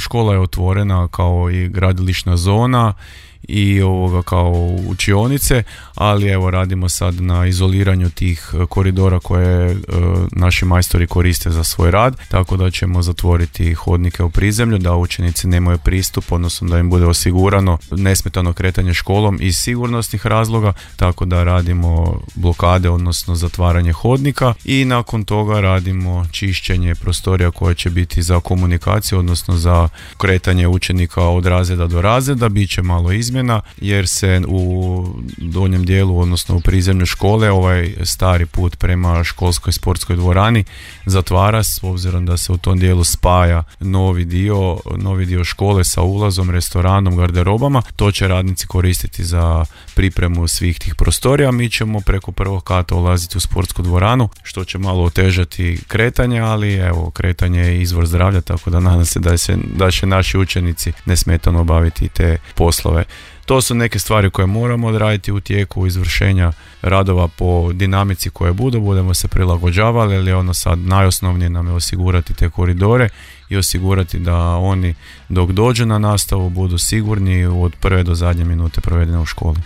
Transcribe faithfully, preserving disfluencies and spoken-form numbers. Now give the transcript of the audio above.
škola je otvorena kao i gradilišna zona i ovoga kao učionice, ali evo radimo sad na izoliranju tih koridora koje e, naši majstori koriste za svoj rad, tako da ćemo zatvoriti hodnike u prizemlju da učenici nemaju pristup, odnosno da im bude osigurano nesmetano kretanje školom iz sigurnosnih razloga, tako da radimo blokade, odnosno zatvaranje hodnika i nakon toga radimo čišćenje prostorija koje će biti za komunikaciju, odnosno za kretanje učenika od razreda do razreda. Bit će malo izmjena jer se u donjem dijelu, odnosno u prizemlju škole, ovaj stari put prema školskoj sportskoj dvorani zatvara, s obzirom da se u tom dijelu spaja novi dio, novi dio škole sa ulazom, restoranom, garderobama. To će radnici koristiti za pripremu svih tih prostorija. Mi ćemo preko prvog kata ulaziti u sportsku dvoranu, što će malo otežati kretanje, ali evo, kretanje je izvor zdravlja, tako da nadam se da, se, da će naši učenici nesmetano obaviti te poslove. To su neke stvari koje moramo odraditi u tijeku izvršenja radova po dinamici koje budu, budemo se prilagođavali, ali ono sad najosnovnije nam je osigurati te koridore i osigurati da oni dok dođu na nastavu budu sigurni od prve do zadnje minute provedene u školi.